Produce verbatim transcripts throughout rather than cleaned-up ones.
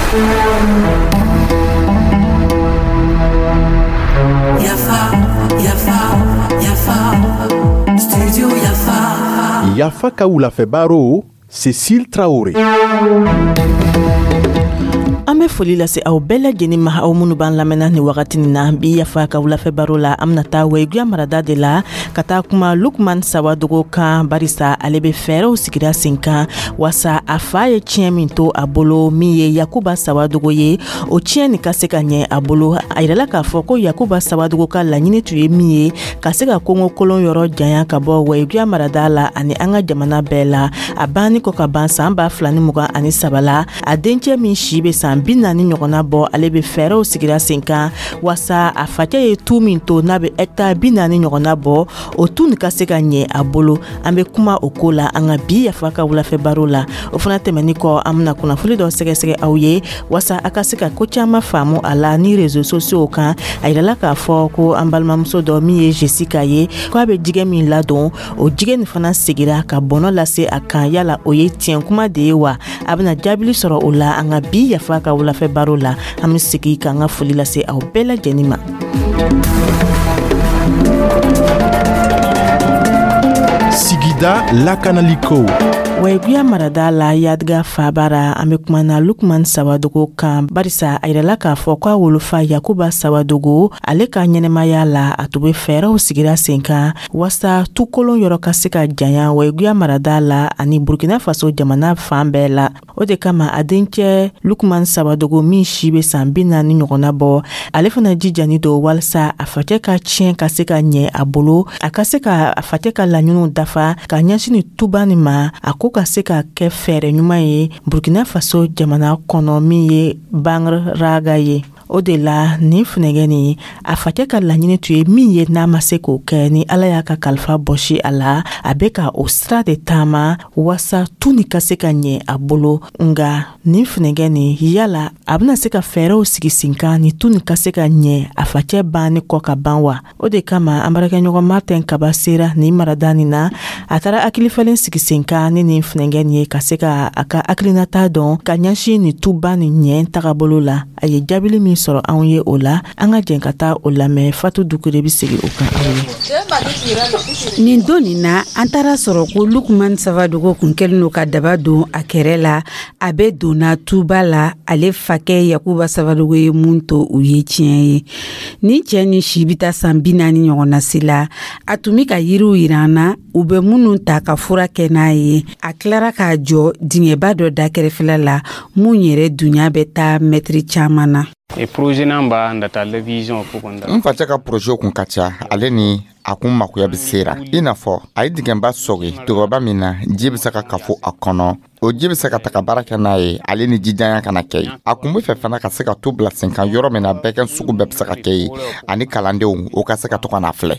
Yafa, Yafa, Yafa, Studio Yafa. Yafa ka wulafɛ baro, Cécile Traoré. An bɛ foli lase aw bɛɛ lajɛlen ma, aw minnu b'an lamɛnna ni wagati nin na. Bi Yafa ka wulafɛ baro la, an bɛna taa Wayiguya marada de la ka taa kuma Lukman Sawadogo kan, barisa ale bɛ fɛɛrɛw sigira sen kan wasa a fa ye tiɲɛ min to a bolo, min ye Yakuba Sawadogo ye, o tiɲɛ nin ka se ka ɲɛ a bolo. A yirala k'a fɔ ko Yakuba Sawadogo ka laɲini tun ye min ye, ka se ka kongo kolon yɔrɔ janya ka bɔ Wayiguya marada la ani an ka jamana bɛɛ la. A banni kɔ ka ban san ba fila ni mugan ani saba la, a dencɛ min si bɛ san bi naani ɲɔgɔnna bɔ, ale bɛ fɛɛrɛw sigira sen kan wasa a facɛ ye tu min to, n'a bɛ hɛkitari bi naani ɲɔgɔnna bɔ, o tu nin ka se ka ɲɛ a bolo. An bɛ kuma o ko la an ka bi Yafa ka wulafɛ baro la. O fana tɛmɛni kɔ, an bɛna kunnafoni dɔ sɛgɛsɛgɛ aw ye wasa a ka se ka ko caman faamu a la ni réseaux sociaux kan. A yirala k'a fɔ ko an balimamuso dɔ min ye Jessica ye, k'a bɛ jɛgɛ min ladon, o jɛgɛ nin fana segira ka bɔnɔ lase a kan. Yala o ye tiɲɛ kuma de ye wa? A bɛna jaabili sɔrɔ o la an ka bi Yafa ka wulafɛ baro la. An bɛ segi k'an ka foli lase aw bɛɛ lajɛlen ma. Sigida lakanaliko. Wayiguya marada la, Yadiga fabara, an bɛ kuma na Lukman Sawadogo kan, barisa a yirala k'a fɔ k'a wolofa Yakuba Sawadogo, ale ka ɲɛnɛmaya la, a tun bɛ fɛɛrɛw sigira sen kan wasa tukolon yɔrɔ ka se ka janya Wayiguya marada la ani Burkina Faso jamana fan bɛɛ la. O de kama a dencɛ Lukman Sawadogo, min si bɛ san bi naani ɲɔgɔnna bɔ, ale fana jijani don walasa a facɛ ka tiɲɛ ka se ka ɲɛ a bolo, a ka se ka a facɛ ka laɲiniw dafa ka ɲɛsin ni tuba nin ma, a ko ka se ka kɛ fɛɛrɛ ɲuman ye Burkina Faso jamana kɔnɔ, min ye Bangreraga ye. O de la nin funɛgɛ nin, a facɛ ka laɲini tun ye min ye, n'a ma se k'o kɛ, ni Ala y'a ka kalifa bɔsi a la, a bɛ ka o sira de taama wasa tu nin ka se ka ɲɛ a bolo. Nga nin funɛgɛ nin, yala a bɛna se ka fɛɛrɛw sigi sen kan ni tu nin ka se ka ɲɛ a facɛ banni kɔ ka ban wa? O de kama an baarakɛɲɔgɔn Martin Kaba sera nin marada nin na. A taara hakilifalen sigi sen kan ni nin funɛgɛ nin ye, ka se ka a ka hakilinata dɔn ka ɲɛsin nin tuba nin ɲɛ tagabolo la. A ye jaabili min sɔrɔ anw ye o la, an ka jɛn ka taa o lamɛn. Fatu Dukure bɛ segin o kan aw ye. Nin don nin na, an taara sɔrɔ ko Lukman Sawadogo kun kɛlen don ka daba don a kɛrɛ la. A bɛ donna tuba la, ale fakɛ Yakuba Sawadogo ye mun to u ye tiɲɛ ye. Nin cɛ ni si bɛ taa san bi naani ɲɔgɔnna si la. A tun bɛ ka yiriw yira an na, u bɛ minnu ta ka fura kɛ n'a ye. A tilara k'a jɔ dingɛba dɔ da kɛrɛfɛla la, mun yɛrɛ dunya bɛ taa mɛtiri caman na. N facɛ ka projet kun ka ca, ale ni a kun makoya bɛ sera. I n'a fɔ a ye dingɛba sɔgi dɔgɔba min na ji bɛ se ka kafo a kɔnɔ, o ji bɛ se ka taga baara kɛ n'a ye, ale ni jijanya kana kɛ yen. A kun bɛ fɛ fana ka se ka tu bila sen kan yɔrɔ min na bɛɛ sugu bɛɛ bɛ se ka kɛ yen, ani kalandenw o ka se ka to ka na filɛ.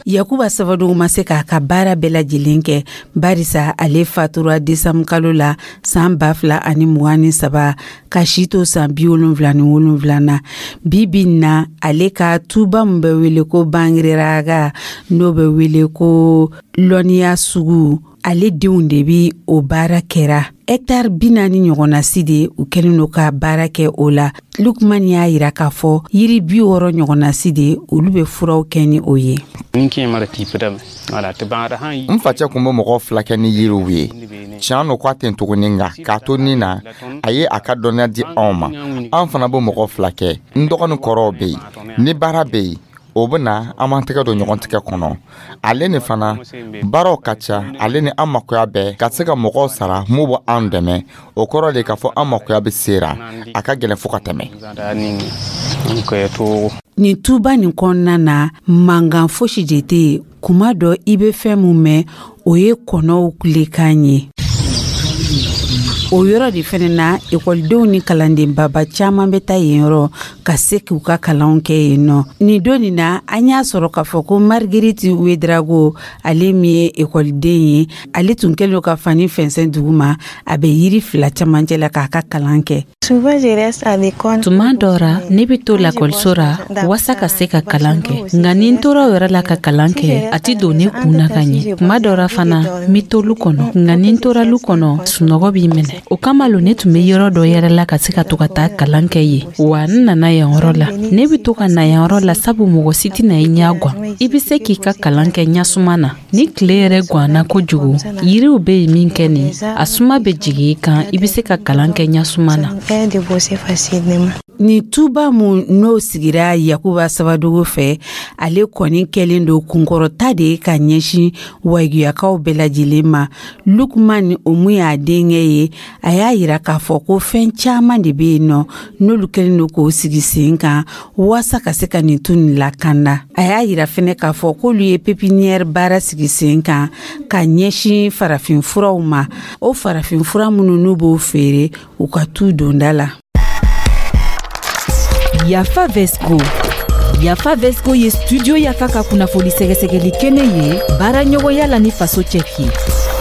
Yakuba Sawadogo ma se k'a ka baara bɛɛ lajɛlen kɛ, barisa ale fatura desanburu kalo la san ba fila ani mugan ni saba, ka si to san bi wolonfila ni wolonfila na. Bi bi na, ale ka tuba min bɛ wele ko Bangreraga, n'o bɛ wele ko lɔnniya sugu, ale denw de bi o baara kɛra. Hɛktare bi naani ɲɔgɔnna si de u kɛlen don ka baara kɛ o la. Lukman y'a yira k'a fɔ yiri bi wɔɔrɔ ɲɔgɔnna si de, olu bɛ furaw kɛ ni o ye. N facɛ kun bɛ mɔgɔw fila kɛ ni yiriw ye. Tiɲɛ no k'a ten tuguni, nka k'a to nin na, a ye a ka dɔnniya di anw ma, an fana bɛ mɔgɔw fila kɛ. N dɔgɔnin kɔrɔw bɛ yen, ni baara bɛ yen, o bɛ na, an b'an tɛgɛ don ɲɔgɔn tigɛ kɔnɔ. Ale ni fana baaraw ka ca, ale ni an makoya bɛɛ ka se ka mɔgɔw sara mun bɛ an dɛmɛ. O kɔrɔ de k'a fɔ an makoya bɛ sera, a ka gɛlɛn fo ka tɛmɛ. Nin tuba nin kɔnɔna na, mankan fosi de tɛ yen. Kuma dɔ, i bɛ fɛn mun mɛn, o ye kɔnɔw kulekan ye. O yɔrɔ de fɛnɛ na, ekɔlidenw ni kalanden baba caman bɛ taa yen yɔrɔ Ka se k'u ka kalanw kɛ yen nɔ. Nin don nin na, an y'a sɔrɔ k'a fɔ ko Marguerite Ouédraogo, ale min ye ekɔliden ye, ale tun kɛlen don ka fani fɛnsɛn dugu ma, a bɛ yiri fila camancɛ la k'a ka kalan kɛ. Tuma dɔ ra, ne bɛ to lakɔliso ra waasa ka se ka kalan kɛ, nka ni n tora o yɛrɛ la ka kalan kɛ, a ti don ne kun na ka ɲɛ. Tuma dɔ ra fana, n be to lu kɔnɔ, nka ni n tora lu kɔnɔ, sunɔgɔ b'i minɛ. O kama lo ne tun be yɔrɔ dɔ yɛrɛ la ka se ka to ka taa kalan kɛ yen, wa n nana yan yɔrɔ la. Ne be to ka na yan yɔrɔ la sabu mɔgɔ si tɛna i ɲɛ gwan, i be se k'i ka kalan kɛ ɲasuma na. Ni tile yɛrɛ gwanna kojugu, yiriw be yen min kɛ nin, a suma be jigi i kan, i be se ka kalan kɛ ɲasuma na. Nin tuba mun n'o sigira Yakuba Sawadogo fɛ, ale kɔni kɛlen don kunkɔrɔta de ye ka ɲɛsin Wayiguyakaw bɛɛ lajɛlen ma. Lukman, o mun y'a denkɛ ye, a y'a yira k'a fɔ ko fɛn caman de bɛ yen nɔ n'olu kɛlen don k'o sigi sen kan waasa ka se ka nin tu nin lakanda. A y'a yira fɛnɛ k'a fɔ k'olu ye pépinière baara sigi sen kan ka ɲɛsin farafin furaw ma, o farafin fura minnu n'u b'o feere u ka tu donda la. Yafa Vesco. Yafa Vesco ye Studio Yafa ka kunnafoni sɛgɛsɛgɛli kɛnɛ ye, baara ɲɔgɔnya la ni Faso Cɛki.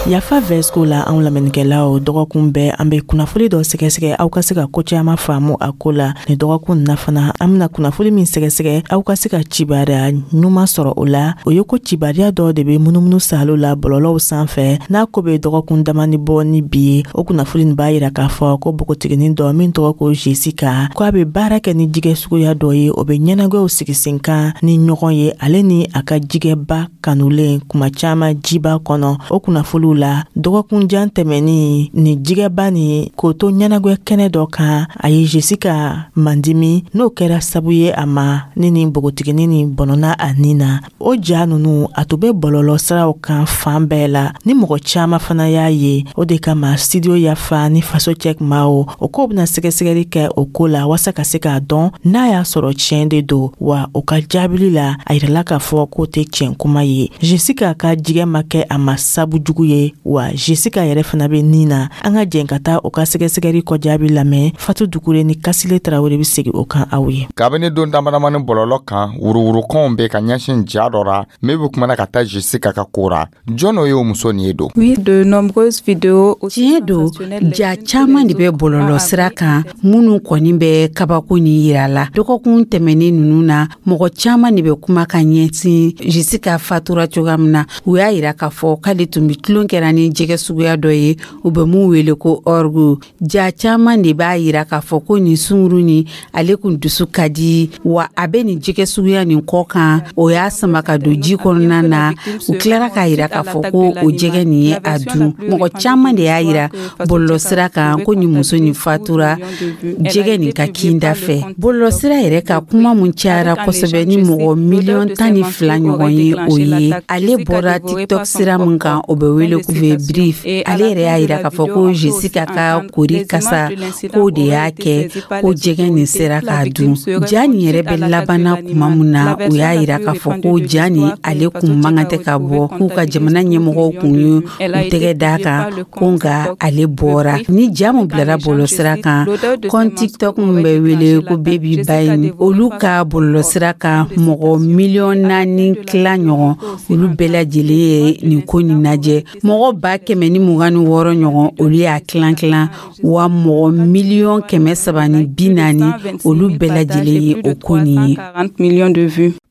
Yafa Vesco la, anw lamɛnnikɛlaw, dɔgɔkun bɛɛ an be kunnafoli dɔ sɛgɛsɛgɛ aw ka se ka ko caaman faamu a ko la. Ni dɔgɔkun na fana, an bena kunnafoli min sɛgɛsɛgɛ aw ka se ka cibariya ɲuman sɔrɔ o la, o ye ko cibariya dɔ de be munumunu salo la bɔlɔlɔw sanfɛ n'a ko be dɔgɔkun damani bɔ ni bi ye. O kunnafoli nin b'a yira k'a fɔ ko bogotiginin dɔ min tɔgɔ ko Jessica, ko a be baara kɛ ni jigɛ suguya dɔ ye, o be ɲɛnagwɛw sigi sen kan ni ɲɔgɔn ye, ale ni a ka jigɛba kanulen kuma caaman jiba kɔnɔ. O kunnafoliw la, dɔgɔkunjan tɛmɛni ni jigɛba ni k'o to ɲɛnagwɛ kɛnɛ dɔ kan, a ye Jessica mandimi, n'o kɛra sabu ye a ma ni nin bogotiginin ni bɔnɔna a nin na. O ja nunu, a tun bɛ bɔlɔlɔ siraw kan fan bɛɛ la, ni mɔgɔ caaman fana y'a ye. O de kama Studio Yafa ni Faso Cɛ maaw o k'o bɛna sɛgɛsɛgɛli kɛ o ko la waasa ka se k'a dɔn n'a y'a sɔrɔ tiɲɛ de don wa. O ka jaabili la, a yirala k'a fɔ k'o tɛ tiɲɛ kuma ye, Jessica ka jigɛ ma kɛ a ma sabu jugu ye, wa Jessica yɛrɛ fana bɛ nin na. An ka jɛn ka taa o ka sɛgɛsɛgɛli kɔjaabi lamɛn. Fatu Dukure ni Kasile Tarawele bɛ segin o kan aw ye. Kabini don damadamani, bɔlɔlɔ kan wuruwurukanw bɛ ka ɲɛsin ja dɔ ra min bɛ kumana ka taa Jessica ka ko ra. Jɔn o ye o muso nin ye don? Oui, de nombreuses vidéos. Tiɲɛ don, ja caman de bɛ bɔlɔlɔ sira kan minnu kɔni bɛ kabako nin yira la. Dɔgɔkun tɛmɛnen ninnu na, mɔgɔ caman de bɛ kuma ka ɲɛsin Jessica fatura cogoya min na. U y'a yira k'a fɔ k'ale tun bɛ tulon kɛra ni jɛgɛ suguya dɔ ye, u bɛ mun wele ko orgue. Ja caman de b'a yira k'a fɔ ko nin sunguru nin, ale kun dusu ka di wa, a bɛ nin jɛgɛ suguya nin kɔ kan, o y'a sama ka don ji kɔnɔna na. U tilara k'a yira k'a fɔ ko o jɛgɛ nin ye a dun. Mɔgɔ caman de y'a yira bɔlɔlɔsira kan ko nin muso nin fatura jɛgɛ nin ka kinda fɛ. Bɔlɔlɔsira yɛrɛ ka kuma mun cayara kosɛbɛ ni mɔgɔ miliyɔn tan ni fila ɲɔgɔn ye, o ye ale bɔra TikTok sira min kan, o bɛ wele ko Brief. Ale yɛrɛ y'a yira k'a fɔ ko Jessica ka kori kasa, k'o de y'a kɛ ko jɛgɛ nin sera k'a dun. Ja nin yɛrɛ bɛ labanna kuma mun na, u y'a yira k'a fɔ ko ja nin, ale kun man kan tɛ ka bɔ, k'u ka jamana ɲɛmɔgɔw kun ye u tɛgɛ d'a kan ko, nka ale bɔra ni ja mun bilara bɔlɔlɔsira kan. Compte TikTok min bɛ wele ko Baby Bain, olu ka bɔlɔlɔsira kan, mɔgɔ miliyɔn naani tila ɲɔgɔn, olu bɛɛ lajɛlen ye nin ko nin lajɛ. Mɔgɔ ba kɛmɛ ni mugan ni wɔɔrɔ ɲɔgɔn, olu y'a tilan tilan, wa mɔgɔ miliyɔn kɛmɛ saba ni bi naani, olu bɛɛ lajɛlen ye o ko nin ye.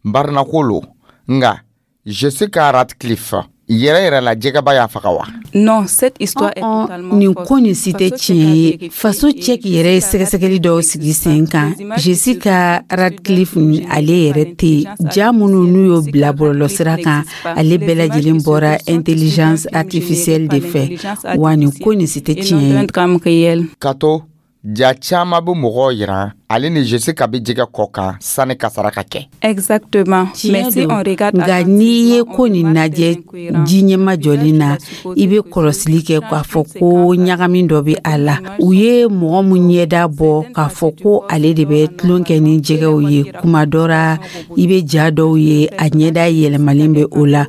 Barinako lo, nka Jessica Radcliffe yɛrɛ yɛrɛ la, jɛgɛba y'a faga wa? Non, cette histoire est totalement Nin ko nin si tɛ tiɲɛ ye. Faso Cɛki yɛrɛ ye sɛgɛsɛgɛli dɔw sigi sen kan. Jessica Radcliffe, ale yɛrɛ tɛ yen. Ja minnu n'u y'o bila bɔlɔlɔsira kan, ale bɛɛ lajɛlen bɔra intelligence artificielle de fɛ, wa nin ko nin si tɛ tiɲɛ ye. Ka to ja caman bɛ mɔgɔw yira ale ni Jessica bɛ jɛgɛ kɔ kan sani kasara ka kɛ. Exactement. Mais si on regarde, nka n'i ye ko nin lajɛ ji ɲɛma jɔlen na, i bɛ kɔlɔsili kɛ k'a fɔ ko ɲagami dɔ bɛ a la. U ye mɔgɔ mun ɲɛda bɔ k'a fɔ ko ale de bɛ tulon kɛ ni jɛgɛw ye, kuma dɔ ra i bɛ ja dɔw ye, a ɲɛda yɛlɛmalen bɛ o la.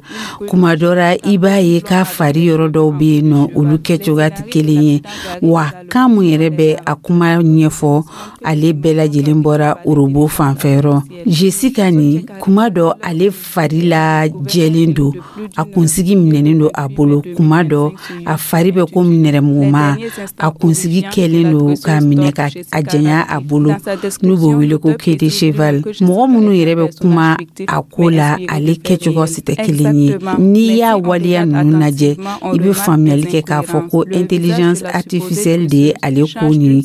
Kuma dɔ ra, i b'a ye k'a fari yɔrɔ dɔw bɛ yen nɔ, olu kɛcogoya tɛ kelen ye, wa kan mun yɛrɛ bɛ a kuma ɲɛfɔ, ale bɛɛ. Bɛɛ lajɛlen bɔra robot fanfɛyɔrɔ. Jessica nin, kuma dɔ ale fari la jɛlen don, a kunsigi minɛnen don a bolo. Kuma dɔ a fari bɛ komi nɛrɛmuguma, a kunsigi kɛlen don k'a minɛ ka a janya a bolo, n'u b'o wele ko queue de cheval. Mɔgɔ minnu yɛrɛ bɛ kuma a ko la, ale kɛcogo si tɛ kelen ye. N'i y'a waleya ninnu lajɛ, i bɛ faamuyali kɛ k'a fɔ ko intelligence artificielle de ye ale ko nin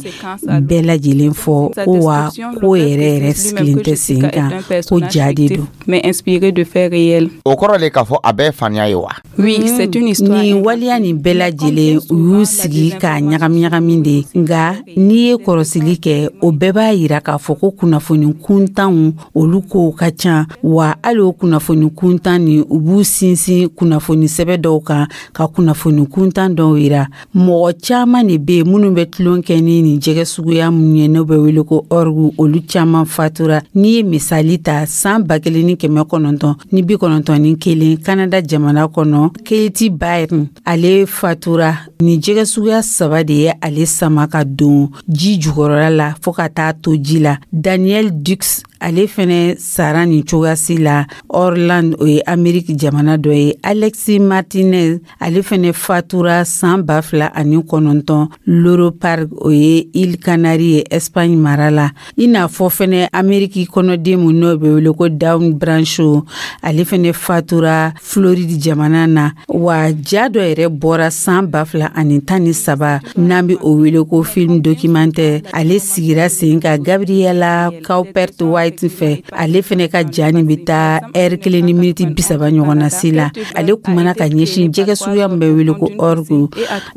bɛɛ lajɛlen fɔ ko wa ko yɛrɛ yɛrɛ sigilen tɛ sen kan, ko ja de don. Mais inspiré de faits réels. O kɔrɔ le k'a fɔ a bɛɛ ye faniya ye wa? Oui, c'est une histoire. Nin waleya nin bɛɛ lajɛlen, u y'u sigi k'a ɲagami ɲagami de. Nka n'i ye kɔrɔsili kɛ, o bɛɛ b'a yira k'a fɔ ko kunnafoni kuntanw, olu kow ka ca wa. Hali o kunnafoni kuntan nin, u b'u sinsin kunnafoni sɛbɛ dɔw kan ka kunnafoni kuntan dɔw yira. Mɔgɔ caman de bɛ yen minnu bɛ tulon kɛ ni nin jɛgɛ suguya minnu ye, n'o bɛ wele ko orgue, olu caman fatura. N'i ye misali ta, san ba kelen ni kɛmɛ kɔnɔntɔn ni bi kɔnɔntɔn ni kelen, Kanada jamana kɔnɔ, Katie Byrne, ale fatura. Nin jɛgɛ suguya saba de ye ale sama ka don ji jukɔrɔla la fɔɔ ka taa to ji la. Daniel Dux, ale fɛnɛ sara nin cogoyasi la Orland, o ye Ameriki jamana dɔ ye. Alexi Martinez, ale fɛnɛ fatura san ba fila ani kɔnɔntɔn, Loro Park, o ye Îles Canaries ye, Espagne mara la. I n'a fɔ fɛnɛ Ameriki kɔnɔden mun n'o bɛ wele ko Dawn Brancheau, ale fɛnɛ fatura Floride jamana na. Wa ja dɔ yɛrɛ bɔra san ba fila ani tan ni saba, n'an bɛ o wele ko film documentaire. Ale sigira sen ka Gabriela Caupert White fɛ. Ale fɛnɛ ka ja nin bɛ taa ɛri kelen ni miniti bi saba ɲɔgɔn na si la. Ale kumana ka ɲɛsin jɛgɛ suguya min bɛ wele ko orgue,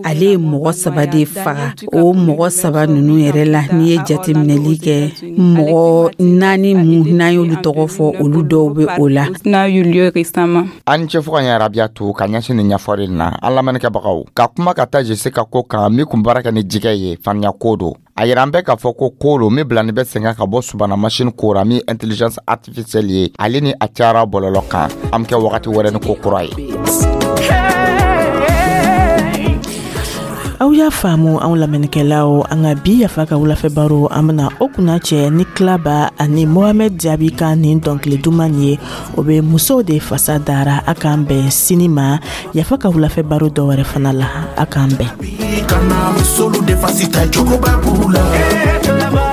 ale ye mɔgɔ saba de faga. O mɔgɔ saba ninnu yɛrɛ la, n'i ye jateminɛli kɛ, mɔgɔ naani mun n'an y'olu tɔgɔ fɔ, olu dɔw bɛ o la. N'a eu lieu récemment. An ni ce fo ka ɲɛ, Rabiyatu, ka ɲɛsin nin ɲɛfɔli na. An lamɛnnikɛbagaw, ka kuma ka taa Jessica ko kan min kun baara kɛ ni jigɛ ye, faniya ko don. A yira an bɛɛ k'a fɔ ko ko lo min bilani bɛ sen kan ka bɔ subana machine ko ra, min intelligence artificielle ye, ale ni a cayara bɔlɔlɔ kan. An be kɛ wagati wɛrɛ ni ko kura ye. Aw y'a faamu, anw lamɛnnikɛlaw, an ka bi Yafa ka wulafɛ baro, an bena o kunna cɛ ni Kilaba ani Mohamɛd Jaabi ka nin dɔnkili duman ye, o be musow de fasa dara. A k'an bɛn sini ma Yafa ka wulafɛ baro dɔ wɛrɛ fana la. A k'an bɛn. Kana musolu defasi ta jogoba b'u la.